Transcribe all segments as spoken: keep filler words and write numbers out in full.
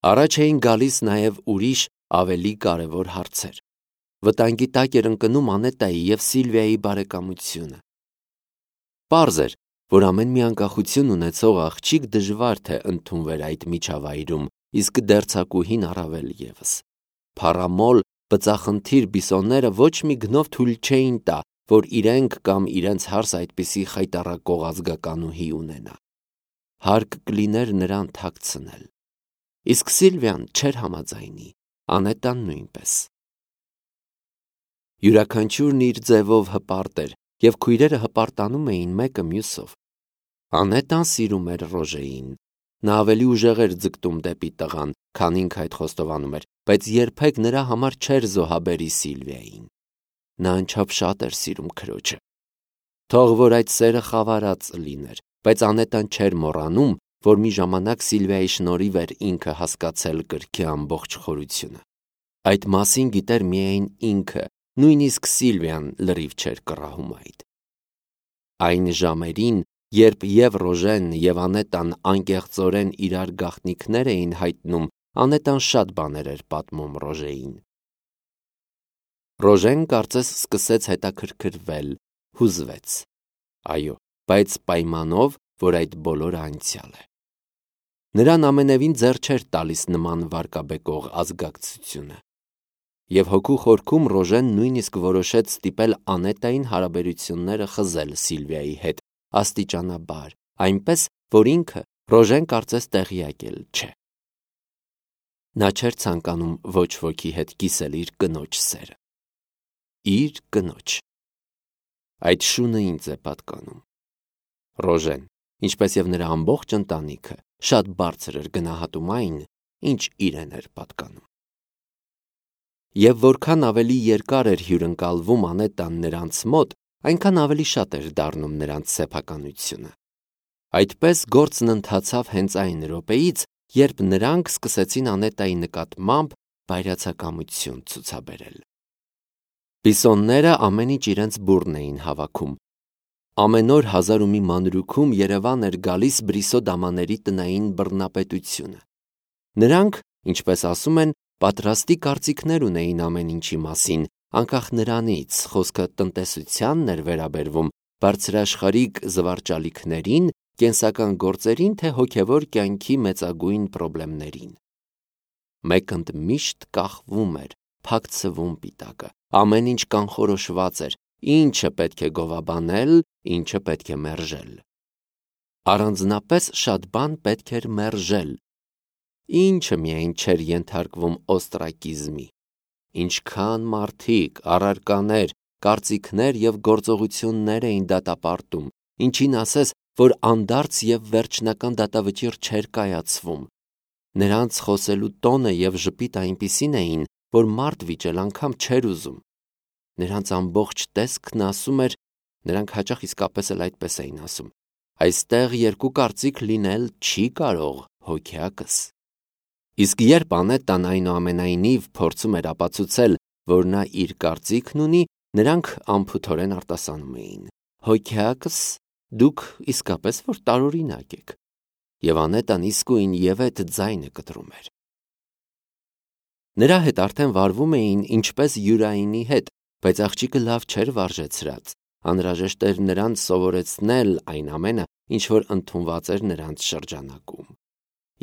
Առաջ էին գալիս նաև ուրիշ ավելի կարևոր հարցեր։ Վտանգի տակ էր ընկնում Անետայի և Սիլվիայի բարեկամությունը։ Պարզ էր, որ ամեն մի անկախություն ունեցող աղջիկ դժվար թե ընդունվեր այդ միջավայրում, իսկ դերձակուհին առավել ևս։ Փառամոլ, բծախնդիր բիսոնները ոչ մի գնով թույլ չէին տա, որ իրենք կամ իրենց հարս այդպիսի խայտառակող ազգականուհի ունենա։ Հարկ կլիներ նրան թաքցնել։ Իսկ Սիլվիան չէր համաձայնի, Անետան նույնպես։ Յուրաքանչյուրն իր ձևով հպարտ էր, և քույրերը հպարտանում էին մեկը մյուսով։ Անետան սիրում էր Ռոժեին։ Նա ավելի ուժեղ էր ձգտում դեպի տղան, քան ինքը այդ խոստովանում էր, բայց երբեք նրա համար չէր զոհաբերի Սիլվիային։ Նա անչափ շատ էր սիրում քրոջը։ Թող որ այդ սերը խավարած լիներ, բայց Անետան չէր մոռանում, որ մի ժամանակ Սիլվիայի շնորհիվ էր ինքը հասկացել կրքի ամբողջ խորությունը։ Այդ մասին գիտեր միայն ինքը, նույնիսկ Սիլվիան լրիվ չէր կռահում այդ։ Այն ժամերին, երբ և Ռոժեն և Անետան անկեղծորեն իրար գաղտնիքներ էին հայտնում, Անետան շատ բաներ էր պատմում Ռոժեին։ Ռոժեն կարծես սկսեց հետաքրքրվել, հուզվեց։ Այո, բայց պայմանով, որ այդ բոլորը անցյալ է։ Նրան ամենևին ձեռ չէր տալիս նման վարկաբեկող ազգակցությունը։ Եվ հոգու խորքում Ռոժեն նույնիսկ որոշեց ստիպել Անետային հարաբերությունները խզել Սիլվիայի հետ աստիճանաբար, այնպես, որ ինքը Ռոժեն կարծես տեղյակ էլ չէ։ Նա չէր ցանկանում ոչ ոքի հետ կիսել իր կնոջ սերը։ Իր կնոջ։ Այդ շունը ինձ է պատկանում։ Ռոժեն, ինչպես և նրա ամբողջ ընտանիքը, շատ բարձր էր գնահատում այն, ինչ իրեն էր պատկանում։ Եվ որքան ավելի երկար էր հյուրընկալվում Անետան նրանց մոտ, այնքան ավելի շատ էր դառնում նրանց սեփականությունը։ Այդպես գործն ընթացավ հենց այն րոպեից, երբ նրանք սկսեցին Անետայի նկատմամբ բայրացակամություն ցուցաբերել։ Բիսոնները ամեն ինչ իրենց բուռն էին հավաքում։ Ամեն օր հազար ու մի մանրուքում Երևան էր գալիս Բրիսո դամաների տնային բռնապետությունը։ Նրանք, ինչպես ասում են, պատրաստի կարծիքներ ունեին ամեն ինչի մասին, անկախ նրանից, խոսքը տնտեսությանն էր վերաբերվում, բարձրաշխարհիկ զվարճալիքներին, կենսական գործերին, թե հոգևոր կյանքի մեծագույն պրոբլեմներին։ Մեկընդ միշտ կախվում էր, փակցվում պիտակը, ամեն ինչ կանխորոշված էր, ինչը պետք է գովաբանել, ինչը պետք է մերժել։ Առանձնապես շատ բան պետք էր մերժել։ Ինչը միայն չէր ենթարկվում օստրակիզմի։ Ինչքան մարդիկ, առարկաներ, կարծիքներ և գործողություններ էին դատապարտում, ինչին ասես, որ անդարձ և վերջնական դատավճիռ չէր կայացվում։ Նրանց խոսելու տոնը և ժպիտը այնպիսին էին, որ մարդ վիճել անգամ չէր ուզում։ Նրանց ամբողջ տեսքն ասում էր, նրանք հաճախ իսկապես էլ այդպես էին ասում. այստեղ երկու կարծիք լինել չի կարող, հոգյակս։ Իսկ երբ Անետան այնուամենայնիվ փորձում էր ապացուցել, որ նա իր կարծիքն ունի, նրանք անփութորեն արտասանում էին. հոգյակս, դուք իսկապես որ տարօրինակ եք։ Եվ Անետան իսկույն ևեթ ձայնը կտրում էր։ Նրա հետ արդեն վարվում էին ինչպես Յուրայինի հետ, բայց աղջիկը լավ չէր վարժեցրած։ Անհրաժեշտ էր նրանց սովորեցնել այն ամենը, ինչ որ ընդունված էր նրանց շրջանակում։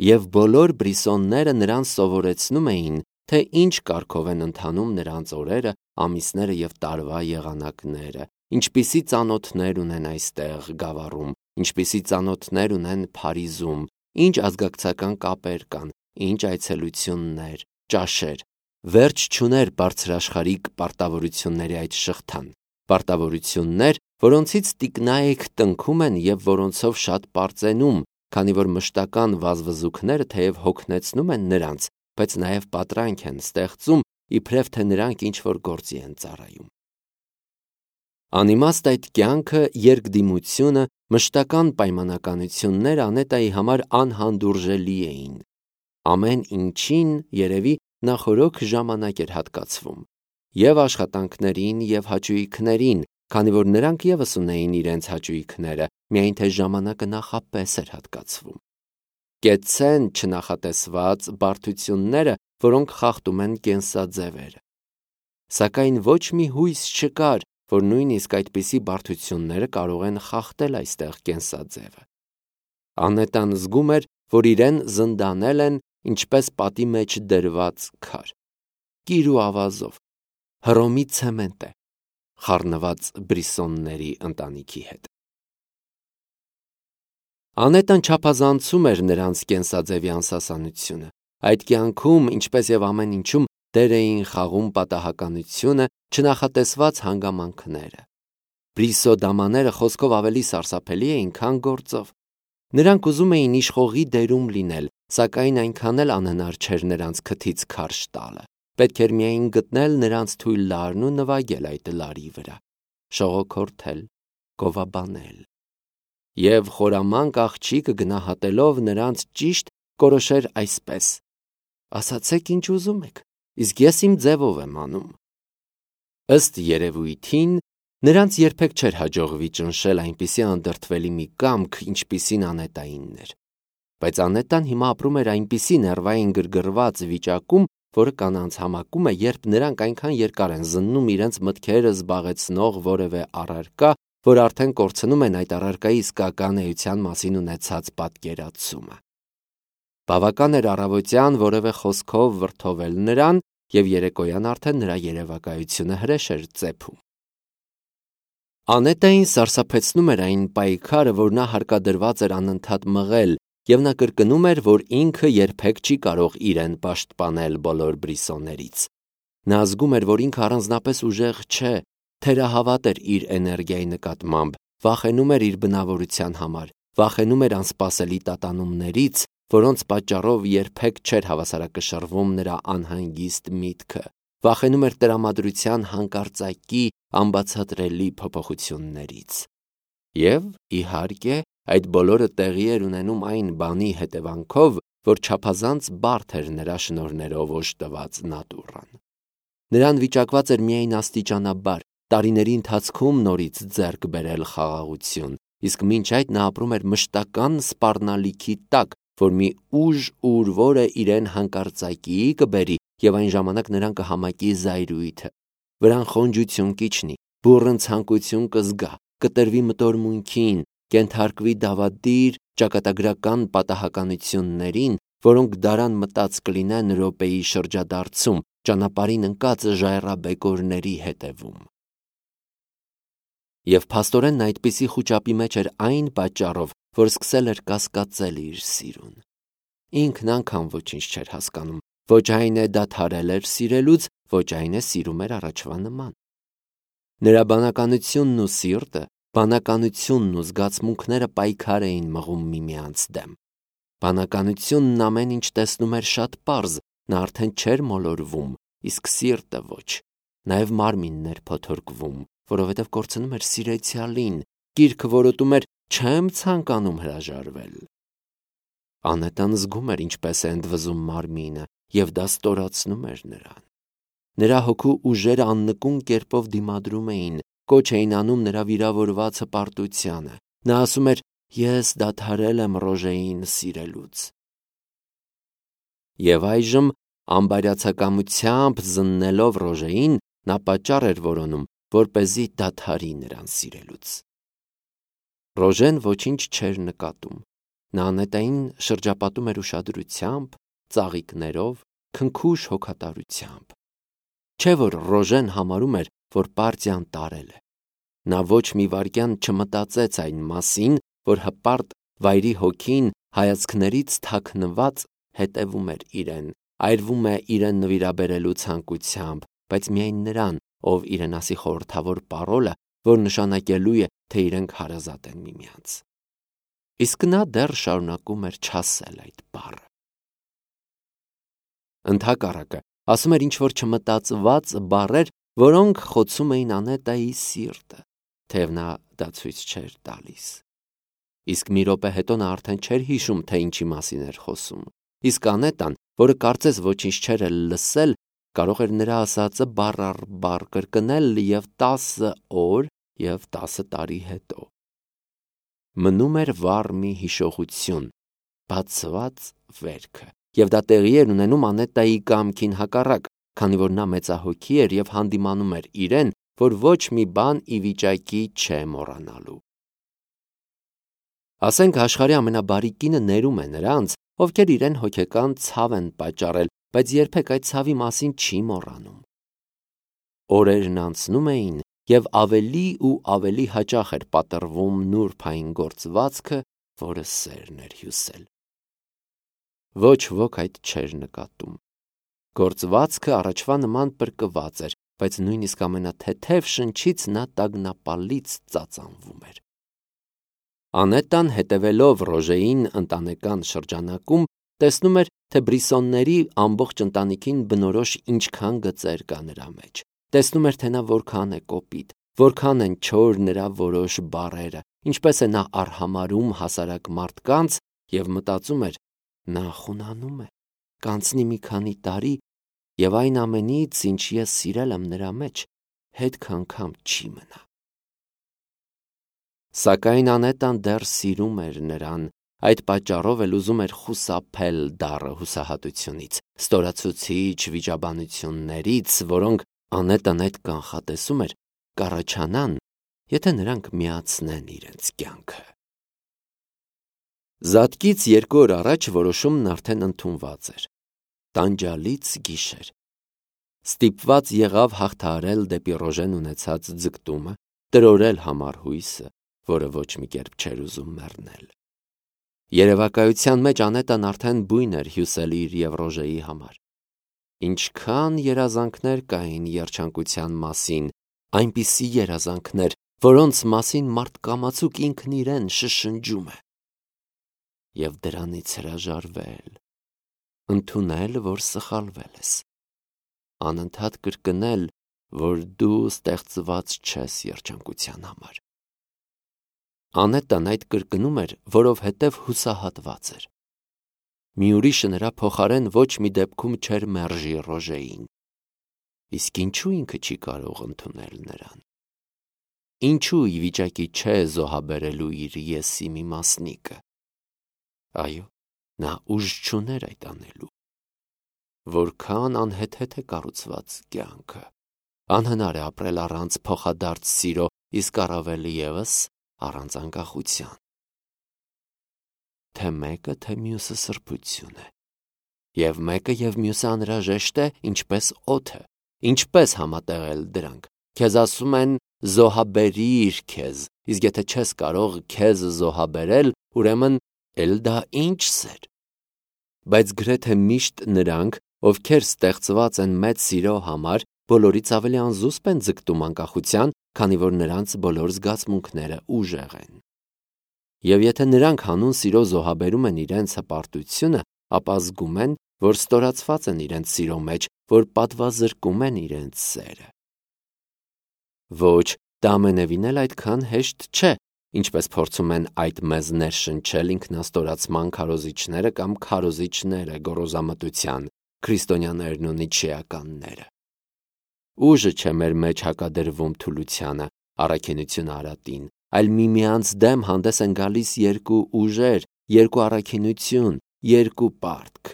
Եվ բոլոր Բրիսոնները նրան սովորեցնում էին, թե ինչ կարգով են ընթանում նրանց օրերը, ամիսները և տարվա եղանակները, ինչպիսի ծանոթներ ունեն այստեղ Գավառում, ինչպիսի ծանոթներ ունեն Փարիզում, ինչ ազգակցական կապեր կան, ինչ այցելություններ, ճաշեր։ Վերջ չուներ բարձրաշխարհիկ պարտավորությունների այդ շղթան, պարտավորություններ, որոնցից տիկնայք տնքում են և որոնցով շատ պարծենում, քանի որ մշտական վազվզուքները թեև հոգնեցնում են նրանց, բայց նաև պատրանք են ստեղծում, իբրև թե նրանք ինչ-որ գործի են ծառայում։ Անիմաստ այդ կյանքը, երկդիմությունը, մշտական պայմանականությունները Անետայի համար անհանդուրժելի էին։ Ամեն ինչին, երևի, նախօրոք ժամանակ էր հատկացվում։ Եվ աշխատանքներին, և հաճույքներին, քանի որ նրանք ևս ունեին իրենց հաճույքները, միայն թե ժամանակը նախապես էր հատկացվում։ կեցցեն չնախատեսված բարդությունները, որոնք խախտում են կենսաձևերը։ Սակայն ոչ մի հույս չկար, որ նույնիսկ այդպիսի բարդությունները կարող են խախտել այստեղ կենսաձևը։ Անետան զգում էր, որ իրեն զնդանել են ինչպես պատի մեջ դրված քար, կիր ու ավազով, հռոմի ցեմենտ է, խառնված Բրիսոնների ընտանիքի հետ։ Անետան չափազանցում էր նրանց կենսաձևի անսասանությունը։ Այդ կյանքում, ինչպես եւ ամեն ինչում, դեր էին խաղում պատահականությունը, չնախատեսված հանգամանքները։ Բրիսո դամաները խոսքով ավելի սարսափելի էին, քան գործով։ Նրանք ուզում էին իշխողի դերում լինել, սակայն այնքան էլ անհնար չէր նրանց քթից քարշ տալը։ Պետք էր միայն գտնել նրանց թույլ լարն ու նվագել այդ լարի վրա, շողոքորթել, գովաբանել։ Եվ խորամանկ աղջիկը գնահատելով նրանց ճիշտ կորոշեր այսպես. ասացեք ինչ ուզում եք, իսկ ես իմ ձևով եմ անում։ Ըստ երևույթին, նրանց երբեք չէր հաջողվի ճնշել այնպիսի անդրդվելի մի կամք, ինչպիսին Անետայինն էր։ Բայց Անետան հիմա ապրում էր այնպիսի ներվային գրգռված վիճակում, որը կանանց համակում է, երբ նրանք այնքան երկար են զննում իրենց մտքերը զբաղեցնող որևէ առարկա, որ արդեն կորցնում են այդ առարկայի իսկական էության մասին ունեցած պատկերացումը։ Բավական էր առավոտյան որևէ խոսքով վրդովել նրան, եւ երեկոյան արդեն նրա երևակայությունը հրեշ էր ծեփում։ Անետային սարսափեցնում էր այն պայքարը, որ նա հարկադրված էր անընդհատ մղել, եւ նա կրկնում էր, որ ինքը երբեք չի կարող իրեն պաշտպանել բոլոր Բրիսոներից։ Նա զգում էր, որ ինքը առանձնապես ուժեղ չէ, թերահավատ էր իր էներգիայի նկատմամբ, վախենում էր իր բնավորության համար, վախենում էր անսպասելի տատանումներից, որոնց պատճառով երբեք չէր հավասարակշռվում նրա անհանգիստ միտքը, վախենում էր տրամադրության հանկարծակի անբացատրելի փոփոխություններից։ Եվ, իհարկե, այդ բոլորը տեղի էր ունենում այն բանի հետևանքով, որ չափազանց բարդ էր նրա շնորհներով օժտված նատուրան։ Նրան վիճակված էր միայն աստիճանաբար, տարիների ընթացքում նորից ձեռք բերել խաղաղություն, իսկ մինչ այդ նա ապրում էր մշտական սպառնալիքի տակ, որ մի ուժ ուր որը իրեն հանկարծակի կբերի եւ այն ժամանակ նրան կհամակի զայրույթը, վրան խոնջություն կիջնի, բուռն ցանկություն կզգա, կտրվի մտորմունքին, կենթարկվի դավադիր ճակատագրական պատահականություններին, որոնք դարան մտած կլինեն րոպեի շրջադարձում, ճանապարհին ընկած ժայռաբեկորների հետևում։ Եվ փաստորեն այդպիսի խուճապի մեջ էր այն պատճառով, որ սկսել էր կասկածել իր սիրուն։ Ինքն անգամ ոչինչ չէր հասկանում, ոչ այն է դադարել էր սիրելուց, ոչ այն է սիրում էր առաջվա նման։ Նրա բանականությունն ու սիրտը, բանականությունն ու զգացմունքները պայքար էին մղում միմյանց դեմ։ Բանականությունն ամեն ինչ տեսնում էր շատ պարզ, նա արդեն չէր մոլորվում, իսկ սիրտը ոչ, նաև մարմինն էր փոթորկվում, որովհետև կորցնում էր սիրեցյալին, գիրքը որոտում էր չեմ ցանկանում հրաժարվել։ Անետան զգում էր ինչպես է ընդվզում մարմինը, եւ դա ստորացնում էր նրան։ Նրա հոգու ուժերը աննկուն կերպով դիմադրում էին, կոչ էին անում նրա վիրավորված հպարտությանը։ Նա ասում էր. ես դադարել եմ Ռոժեին սիրելուց։ Եվ այժմ ամբարյացակամությամբ զննելով Ռոժեին, նա պատճառ էր որոնում, որպեսզի դադարի նրան սիրելուց։ Ռոժեն ոչինչ չէր նկատում։ Նա Անետային շրջապատում էր ուշադրությամբ, ծաղիկներով, քնքուշ հոգատարությամբ։ Չէ՞ որ Ռոժեն համարում էր, որ պարտիան տարել է։ Նա ոչ մի վայրկյան չմտածեց այն մասին, որ հպարտ վայրի հոգին հայացքներից թաքնված հետևում էր իրեն, այրվում է իրեն նվիրաբերելու ցանկությամբ, բայց միայն նրան, ով իրեն ասի խորհրդավոր պարոլը, որ նշանակելու է, թե իրենք հարազատ են միմյանց։ Իսկ նա դեռ շարունակում էր չասել այդ բառը։ Ընդհակառակը, ասում էր ինչ-որ չմտածված բառեր, որոնք խոցում էին Անետայի սիրտը, թեև նա դա ցույց չէր տալիս։ Իսկ մի րոպե հետո նա արդեն չէր հիշում, թե ինչի մասին էր խոսում։ Իսկ Անետան, որը կարծես ոչինչ չէր էլ լսել, կարող էր նրա ասածը բառ առ բառ կրկնել եւ տասը օր եւ տասը տարի հետո։ Մնում էր վառ մի հիշողություն, բացված վերքը, եւ դա տեղի էր ունենում Անետայի կամքին հակառակ, քանի որ նա մեծահոգի էր եւ հանդիմանում էր իրեն, որ ոչ մի բան ի վիճակի չէ մոռանալու։ Ասենք աշխարհի ամենաբարի կինը ներում է նրանց, ովքեր իրեն հոգեկան ցավ են պատճառել, բայց երբեք այդ ցավի մասին չի մոռանում։ Օրերն անցնում էին, եւ ավելի ու ավելի հաճախ էր պատռվում նուրբային գործվածքը, որը սերն էր հյուսել։ Ոչ ոք այդ չէր նկատում։ Գործվածքը առաջվա նման պրկված էր, բայց նույնիսկ ամենաթեթև շնչից նա տագնապալից ծածանվում էր։ Անետան, հետևելով Ռոժեին ընտանեկան շրջանակում, տեսնում էր, թե Բրիսոնների ամբողջ ընտանիքին բնորոշ ինչքան գծեր կա նրա մեջ։ Տեսնում էր, թե նա որքան է կոպիտ, որքան են չոր նրա որոշ բառերը, ինչպես է նա արհամարհում հասարակ մարդկանց, եւ մտածում էր, նա խունանում է, կանցնի մի քանի տարի, եւ այն ամենից, ինչ ես սիրել եմ նրա մեջ, հետք անգամ չի մնա։ Սակայն Անետան դեռ սիրում էր նրան, այդ պատճառով էլ ուզում էր խուսափել դառը հուսահատությունից, ստորացուցիչ վիճաբանություններից, որոնք Անետան այդ կանխատեսում էր կառաջանան, եթե նրանք միացնեն իրենց կյանքը։ Զատկից երկու օր առաջ որոշումն արդեն ընդունված էր։ Տանջալից գիշեր։ Ստիպված եղավ հաղթահարել դեպի Ռոժեն ունեցած ձգտումը, տրորել համառ հույսը, որը ոչ մի կերպ չէր ուզում մեռնել։ Երևակայության մեջ Անետան արդեն բույն էր հյուսել իր եւ Ռոժեի համար։ Ինչքան երազանքներ կային երջանկության մասին, այնպիսի երազանքներ, որոնց մասին մարդկամացուկ ինքն իրեն շշնջում է։ Եվ դրանից հրաժարվել, ընդունել, որ սխալվել ես, անընդհատ կրկնել, որ դու ստեղծված չես երջանկության համար։ Անետան այդ կրկնում էր, որովհետև հուսահատված էր։ Մի ուրիշը նրա փոխարեն ոչ մի դեպքում չէր մերժի Ռոժեին։ Իսկ ինչու ինքը չի կարող ընդունել նրան։ Ինչու ի վիճակի չէ զոհաբերելու իր եսի մի մասնիկը։ Այո, նա ուժ չուներ այդ անելու։ Որքան անհեթեթ է կառուցված կյանքը։ Անհնար է ապրել առանց փոխադարձ սիրո, իսկ առավել ևս առանց անկախության։ Թե մեկը, թե մյուսը սրբություն է։ Եվ մեկը եւ մյուսը անհրաժեշտ է, ինչպես օդը։ Ինչպես համատեղել դրանք։ Քեզ ասում են զոհաբերիր քեզ, իսկ եթե չես կարող քեզ զոհաբերել, ուրեմն էլ դա ինչ սեր։ Բայց գրեթե միշտ նրանք, ովքեր ստեղծված են մեծ սիրո համար, բոլորից ավելի անզուսպ են ձգտում անկախության, քանի որ նրանց բոլոր զգացմունքները ուժեղ են։ Եվ եթե նրանք հանուն սիրո զոհաբերում են իրենց հպարտությունը, ապա զգում են, որ ստորացված են իրենց սիրո մեջ, որ պատվազրկում են իրենց սերը։ Ոչ, դա ամենևին էլ այդքան հեշտ չէ, ինչպես փորձում են այդ մեզ ներշնչել ինքնաստորացման քարոզիչները կամ քարոզիչները գոռոզամտության, քրիստոնյաներն ու նիչեականները։ Ուժը չէ մեր մեջ հակադրվում թուլությանը, առաքինությունը արատին, այլ միմյանց դեմ հանդես են գալիս երկու ուժեր, երկու առաքինություն, երկու պարտք։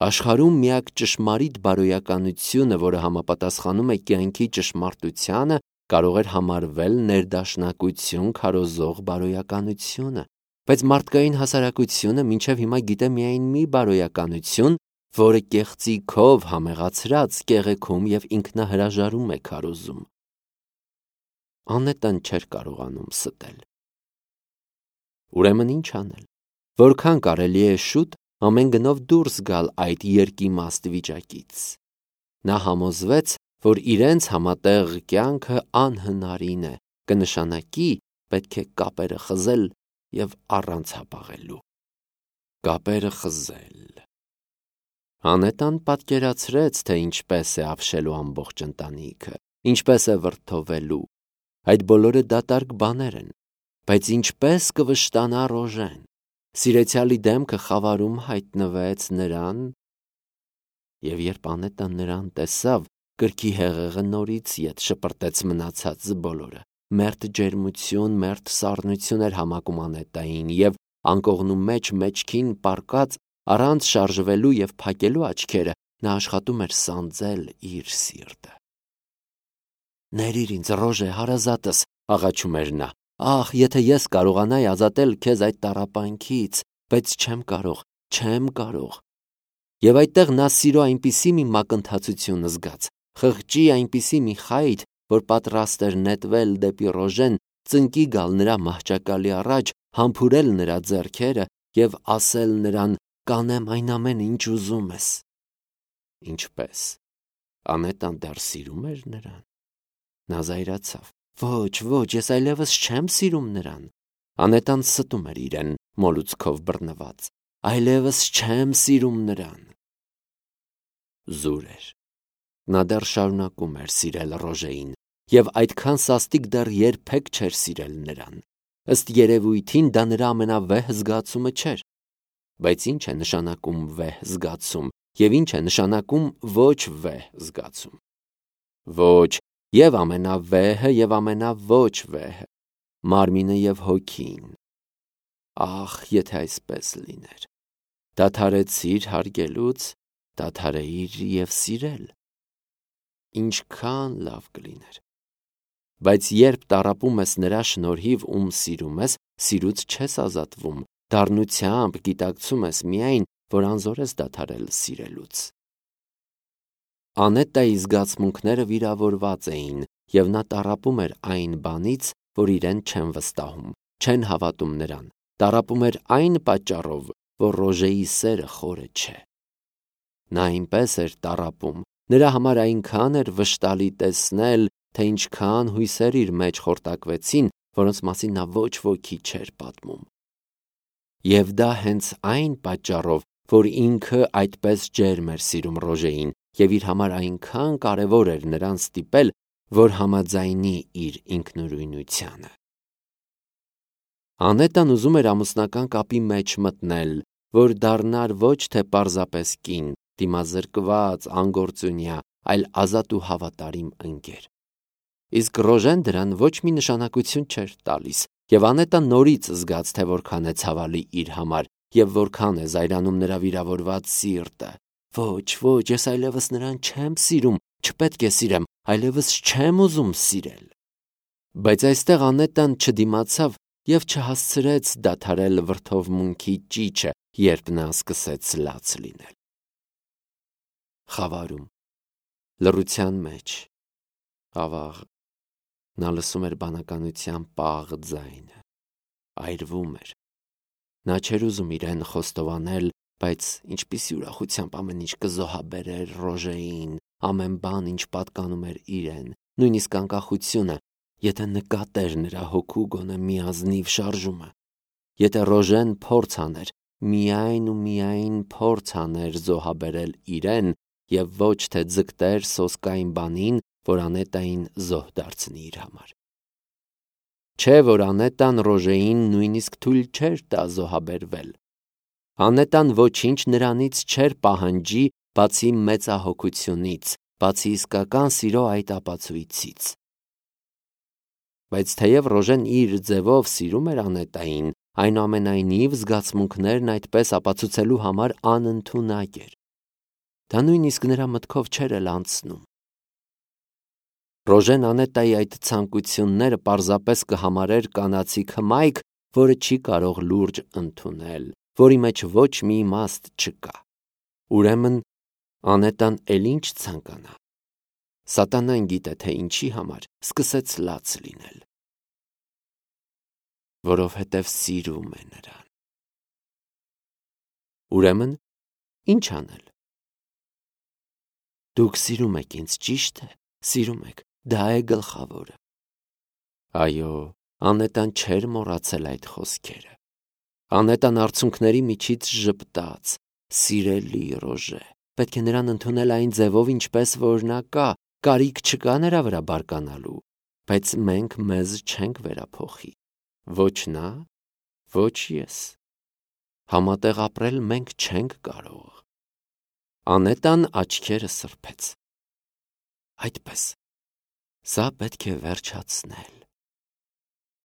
Աշխարհում միակ ճշմարիտ բարոյականությունը, որը համապատասխանում է կյանքի ճշմարտությանը, կարող էր համարվել ներդաշնակություն քարոզող բարոյականությունը, բայց մարդկային հասարակությունը մինչև հիմա գիտե միայն մի բարոյականություն, որը կեղծիքով համեղացրած կեղեքում եւ ինքնահրաժարում է քարոզում։ Անետան չէր կարողանում ստել։ Ուրեմն ինչ անել։ Որքան կարելի է շուտ ամեն գնով դուրս գալ այդ երկիմաստ վիճակից։ Նա համոզվեց, որ իրենց համատեղ կյանքը անհնարին է, կնշանակի պետք է կապերը խզել եւ առանց հապաղելու։ Կապերը խզել։ Անետան պատկերացրեց, թե ինչպես է ապշելու ամբողջ ընտանիքը, ինչպես է վրդովելու։ Այդ բոլորը դատարկ բաներ են, բայց ինչպես կվշտանա Ռոժեն։ Սիրեցյալի դեմքը խավարում հայտնվեց նրան, եւ երբ Անետան նրան տեսավ, կրքի հեղեղը նորից ետ շպրտեց մնացած բոլորը։ Մերթ ջերմություն, մերթ սառնություն էր համակում Անետային, եւ անկողնու մեջ մեջքին պառկած, առանց շարժվելու և փակելու աչքերը, նա աշխատում էր սանձել իր սիրտը։ «Ներիր ինձ, Ռոժե, հարազատս», աղաչում էր նա, «ախ, եթե ես կարողանայի ազատել քեզ այդ տառապանքից, բայց չեմ կարող, չեմ կարող»։ Եվ այդտեղ նա սիրո այնպիսի մի մակընթացություն զգաց, խղճի այնպիսի մի խայթ, որ պատրաստ էր նետվել դեպի Ռոժեն, ծնկի գալ նրա մահճակալի առաջ, համբուրել նրա ձեռքերը և ասել նրան. «Կանեմ այն ամենը, ինչ ուզում ես»։ Ինչպե՞ս։ Անետան դեռ սիրում էր նրան։ Նա զայրացավ. «Ոչ, ոչ, ես այլևս չեմ սիրում նրան»։ Անետան ստում էր իրեն, մոլուցքով բռնված։ «Այլևս չեմ սիրում նրան»։ Զուր էր։ Նա դեռ շարունակում էր սիրել Ռոժեին և այդքան սաստիկ դեռ երբեք չէր սիրել նրան։ Ըստ երևույթին դա նրա ամենավեհ զգացումը չէր։ Բայց ի՞նչ է նշանակում վեհ զգացում և ի՞նչ է նշանակում ոչ վեհ զգացում։ Ոչ, և ամենավեհը, և ամենավոչ վեհը, մարմինը և հոգին։ Ախ, եթե այսպես լիներ։ Դադարեցիր հարգելուց, դադարեիր և սիրել։ Ինչքան լավ կլիներ։ Բայց երբ տառապում ես նրա շնորհիվ, ում սիրում ես, սիրուց չես ազատվում, դառնությամբ գիտակցում ես միայն, որ անզոր ես դադարել սիրելուց։ Անետայի զգացմունքները վիրավորված էին, և նա տառապում էր այն բանից, որ իրեն չեն վստահում, չեն հավատում նրան, տառապում էր այն պատճառով, որ Ռոժեի սերը խորը չէ։ Նա այնպես էր տառապում, նրա համար այնքան էր վշտալի տեսնել, թե ինչքան հույսեր իր մեջ խորտակվեցին, որոնց մասին նա ոչ ոքի չէր պատմում։ Եվ դա հենց այն պատճառով, որ ինքը այդպես ջերմ էր սիրում Ռոժեին, և իր համար այնքան կարևոր էր նրան ստիպել, որ համաձայնի իր ինքնուրույնությանը։ Անետան ուզում էր ամուսնական կապի մեջ մտնել, որ դառնար ոչ թե պարզապես կին, դիմազրկված, անգործունյա, այլ ազատ ու հավատարիմ ընկեր։ Իսկ Ռոժեն դրան ոչ մի նշանակություն չէր տալիս, և Անետան նորից զգաց, թե որքան է ցավալի իր համար և որքան է զայրանում նրա վիրավորված սիրտը։ Ոչ, ոչ, ես այլևս նրան չեմ սիրում, չպետք է սիրեմ, այլևս չեմ ուզում սիրել։ Բայց այստեղ Անետան չդիմացավ և չհասցրեց դադարել վրդովմունքի ճիչը, երբ նա սկսեց լաց լինել։ Խավարում, լռության մեջ, ավաղ, նա լսում էր բանականության պաղ ձայնը, այրվում էր։ Նա չէր ուզում իրեն խոստովանել, բայց ինչպիսի ուրախությամբ ամեն ինչ կզոհաբերեր Ռոժեին, ամեն բան, ինչ պատկանում էր իրեն, նույնիսկ անկախությունը, եթե նկատեր նրա հոգու գոնե մի ազնիվ շարժումը, եթե Ռոժեն փորձ աներ, միայն ու միայն փորձ աներ զոհաբերել իրեն և ոչ թե ձգտեր սոսկային բանին, որ Անետային զոհ դարձնի իր համար։ Չէ՞ որ Անետան Ռոժեին նույնիսկ թույլ չէր տա զոհաբերվել։ Անետան ոչինչ նրանից չէր պահանջի, բացի մեծահոգությունից, բացի իսկական սիրո այդ ապացույցից։ Բայց թեև Ռոժեն իր ձևով սիրում էր Անետային, այնուամենայնիվ զգացմունքներն այդպես ապացուցելու համար անընդունակ էր։ Դա նույնիսկ նրա մտքով չէր էլ անցնում։ Ռոժեն Անետայի այդ ցանկությունները պարզապես կհամարեր կանացիկ հմայք, որը չի կարող լուրջ ընդունել, որի մեջ ոչ մի իմաստ չկա։ Ուրեմն Անետան էլ ինչ ցանկանա։ Սատանան գիտե, թե ինչի համար սկսեց լաց լինել։ Որովհետև սիրում է նրան։ Ուրեմն ինչ անել։ Դուք սիրում եք ինձ, ճիշտ է, սիրում եք, դա է գլխավորը։ Այո, Անետան չէր մոռացել այդ խոսքերը։ Անետան արցունքների միջից ժպտաց. «Սիրելի Ռոժե, պետք է նրան ընդունել այն ձևով, ինչպես որ նա կա, կարիք չկա նրա վրա բարկանալու, բայց մենք մեզ չենք վերափոխի։ Ոչ նա, ոչ ես։ Համատեղ ապրել մենք չենք կարող»։ Անետան աչքերը սրբեց։ Այդպես, սա պետք է վերջացնել։